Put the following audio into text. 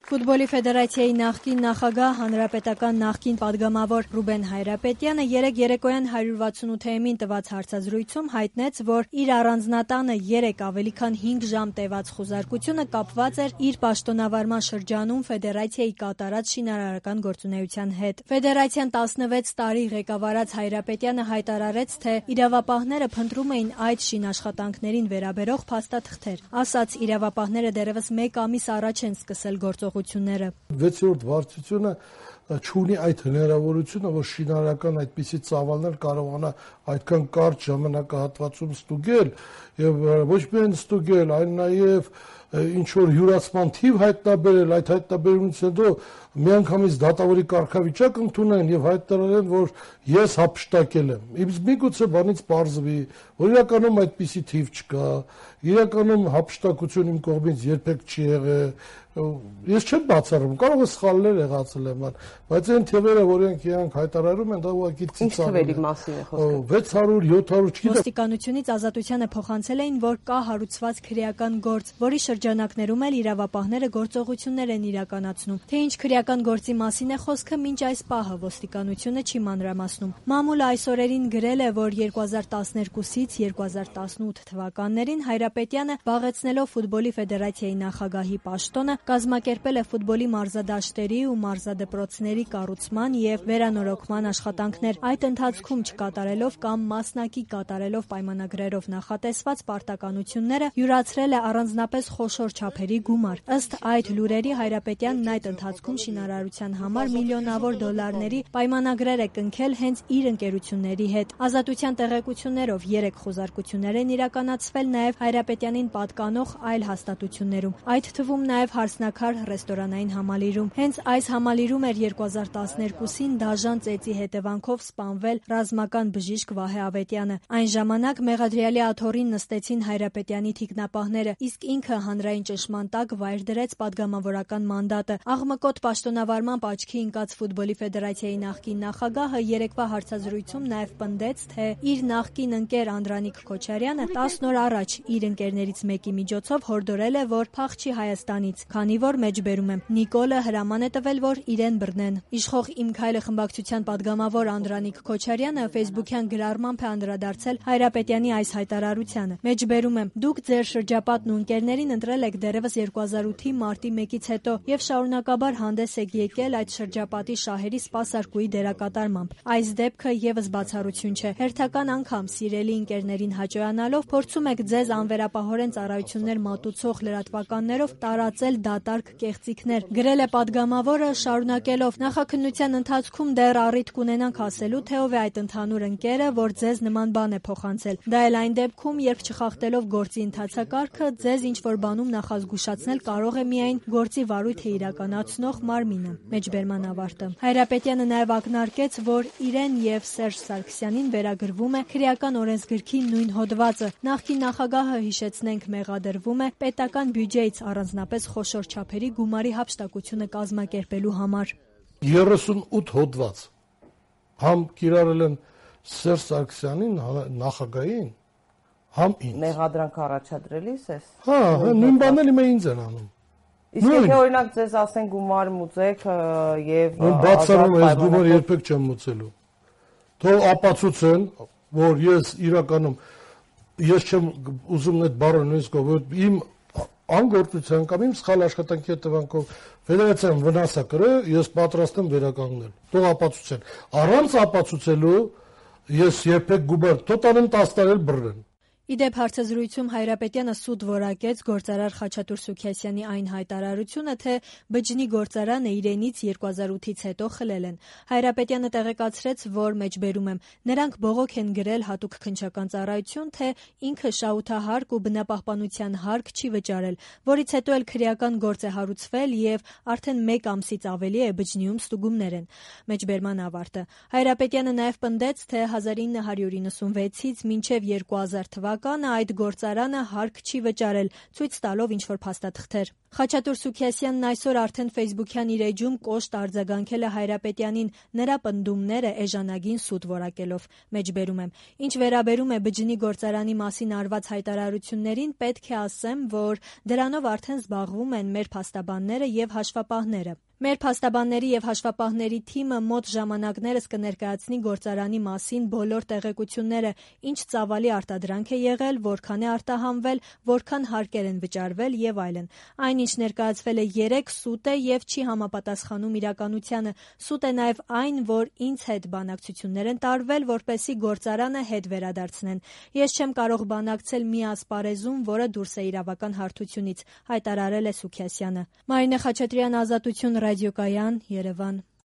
Ֆուտբոլի ֆեդերացիայի նախկին նախագահ, հանրապետական նախկին падգամավոր Ռուբեն Հայրապետյանը երեկ երեկոյան 168-ին տված հարցազրույցում հայտնեց, որ իր առանձնատանը 3 ավելի քան 5 ժամ տևած խուզարկությունը կապված էր իր պաշտոնավարման շրջանում ֆեդերացիայի կատարած շինարարական գործունեության հետ։ Ֆեդերացիան 16 տարի ղեկավարած Հայրապետյանը հայտարարեց, թե իրավապահները փնտրում էին այդ շինաշխատանքներին վերաբերող փաստաթղթեր։ Ասաց, իրավապահները դեռևս 1 ամիս առաջ են սկսել գործողությունները։ 6-րդ վարչությունը չունի այդ հնարավորությունը, որ շինարարական այդպիսի ծավալներ կարողանա այդքան կարճ ժամանակահատվածում ստուգել եւ ոչ միայն ստուգել, այլ նաեւ ինչ որ յուրացման թիվ հայտնաբերել, այդ հայտնաբերումից հետո միանգամից դատավորի կարգավիճակ ընդունեն եւ հայտարարեն, որ ես հափշտակել եմ։ Իսկ միգուցե բանից պարզվի, որ իրականում այդպիսի թիվ չկա, իրականում հափշտակություն իմ կողմից երբեք չի եղել։ Ես չեմ բացառում, կարող է սխալներ եղածել եմ, բայց այն թվերը, որոնք իրանք հայտարարում են, դա ուղղակի ծիծաղ է։ Ինչ թվերի մասին է խոսքը։ 600, 700, չգիտեմ։ Ոստիկանությունից ազատությանը փոխանցել էին, որ կա հարուցված քրեական գործ, որի շրջանակներում էլ իրավապահները գործողություններ են իրականացնում։ Թե ինչ քրեական գործի մասին է խոսքը, մինչ այս պահը ոստիկանությունը չի մանրամասնում։ Մամուլը այս օրերին գրել է, որ 2012-ից 2018 թվականներին Հայրապետյանը զբաղեցնելով ֆուտբոլի ֆեդերացիայի նախագահի պաշտոնը կազմակերպել է ֆուտբոլի մարզադաշտերի ու մարզադպրոցների կառուցման եւ վերանորոգման աշխատանքներ, այդ ընթացքում չկատարելով կամ մասնակի կատարելով պայմանագրերով նախատեսված պարտականությունները յուրացրել է առանձնապես խոշոր չափերի գումար։ Ըստ այդ լուրերի Հայրապետյանն այդ ընթացքում շինարարության համար միլիոնավոր դոլարների պայմանագրեր է կնքել հենց իր ընկերությունների հետ։ Ազատության տեղեկություններով 3 խոզարկություններ են իրականացվել նաեւ Հայրապետյանին պատկանող այլ հաստատություններում, այդ թվում նաեւ հարսնակար ռեստորանային համալիրում։ Հենց այս համալիրում էր 2012-ին դաժան ծեծի հետևանքով սպանվել ռազմական բժիշկ Վահե Ավետյանը։ Այն ժամանակ Մեղադրյալի աթոռին նստեցին Հայրապետյանի թիկնապահները, իսկ ինքը հանրային ճնշման տակ վայր դրեց падգամավորական մանդատը։ Աղմկոտ պաշտոնավարման աչքի ընկած ֆուտբոլի ֆեդերացիայի նախկին նախագահը երեկվա հարցազրույցում նաև պնդեց, թե իր նախկին ընկեր Անդրանիկ Քոչարյանը 10 օր առաջ իր ընկերներից մեկի միջոցով հորդորել է, որ փախչի Հայաստանից, քանի որ մեջբերում է։ Նիկոլը հրաման է տվել, որ իրեն բռնեն։ Իշխող «Իմ քայլը» խմբակցության падգամավոր Անդրանիկ Քոչարյանը ֆեյսբուքյան գրառմամբ է անդրադարձել Հայրապետյանի այս հայտարարությանը։ Մեջբերում եմ, դուք ձեր շրջապատն ու ընկերներին ընտրել եք դեռևս 2008-ի մարտի 1-ից հետո եւ շարունակաբար հանդես եք եկել այդ շրջապատի շահերի սպասարկուի դերակատարմամբ։ Այս դեպքը եւս բացառություն չէ։ Հերթական անգամ սիրելի ընկերներին հաճոյանալով փորձում եք ձեզ անվերապահորեն ծառայություններ մատուցող լրատվականներով տարածել դատարկ կեղծիքներ, գրել է падգամավորը, շարունակելով նախաքննության ընթացքում դեռ առիթ կունենանք ասելու, թե ով է այդ ընդհանուր ընկերը, որ ձեզ նման բան է փոխանցել։ Դա էլ այն դեպքում, երբ չխախտելով գործի ընթացակարգը, ձեզ ինչ որ բանում նախազգուշացնել կարող է միայն գործի վարույթը իրականացնող մարմինը։ Մեջբերման ավարտը։ Հայրապետյանը նաև ակնարկեց, որ իրեն եւ Սերժ Սարգսյանին վերագրվում է քրեական օրենսգրքի նույն հոդվածը։ Նախկին նախագահը, հիշեցնենք, մեղադրվում է պետական բյուջեից առանձնապես խոշոր չափերի գումարի հափշտակությունը կազմակերպելու համար։ 38 հոդված համ կիրառել են Սերժ Սարգսյանին, նախագահին, համ ինձ։ Մեղադրանք առաջադրելիս ես։ Հա, նույն բանն էլ ինձ են անում։ Իսկ եթե օրինակ ձեզ ասեն գումար մուծեք եւ բացառում ես գումար երբեք չեմ մուծելու։ Թող ապացուցեն, որ ես իրականում ես չեմ ուզում այդ բառը նույնիսկ որ իմ անգործության կամ իմ սխալ աշխատանքի հետևանքով ֆեդերացիան վնաս է կրել, ես պատրաստ եմ վերականգնել։ Թող ապացուցեն։ Առանց ապացուցելու ես երբեք գումար տոտալեն 10 տարի բռնեմ։ Իդեպ հարցազրույցում Հայրապետյանը սուտ որակեց գործարար Խաչատուր Սուքիասյանի այն հայտարարությունը, թե բջջի գործարանը իրենից 2008-ից հետո խլել են։ Հայրապետյանը տեղեկացրեց, որ մեջբերում եմ, նրանք բողոք են գրել հատուկ քննչական ծառայություն, թե ինքը շահութահարկ ու բնապահպանության հարկ չի վճարել, որից հետո էլ քրեական գործ է հարուցվել եւ արդեն 1 ամսից ավելի է բջջիում ստուգումներ են։ Մեջբերման ավարտը։ Հայրապետյանը նաև պնդեց, թե 1996-ից մինչև 2000 թվականը թվականը այդ գործարանը հարկ չի վճարել, ցույց տալով ինչ-որ փաստաթղթեր։ Խաչատուր Սուքիասյանն այսօր արդեն Facebook-յան իր էջում կոշտ արձագանքել է Հայրապետյանին, նրա պնդումները էժանագին սուտ որակելով։ Մեջբերում եմ. Ինչ վերաբերում է բջջի գործարանի մասին արված հայտարարություններին, պետք է ասեմ, որ դրանով արդեն զբաղվում են մեր փաստաբանները եւ հաշվապահները։ Մեր փաստաբանների եւ հաշվապահների թիմը մոտ ժամանակներս կներկայացնի գործարանի մասին բոլոր տեղեկությունները, ինչ ծավալի արտադրանք է եղել, որքան է արտահանվել, որքան հարկեր են վճարվել եւ այլն։ Այն, ինչ ներկայացվել է 3, սուտ է եւ չի համապատասխանում իրականությանը։ Սուտ է նաեւ այն, որ ինձ հետ բանակցություններ են տարվել, որպեսզի գործարանը հետ վերադարձնեն։ Ես չեմ կարող բանակցել մի ասպարեզում, որը դուրս է իրավական հարթությունից, հայտարարել է Սուքիասյանը։ Մարինե Խաչատրյան, Ազատություն, ռադիոկայան, Երևան։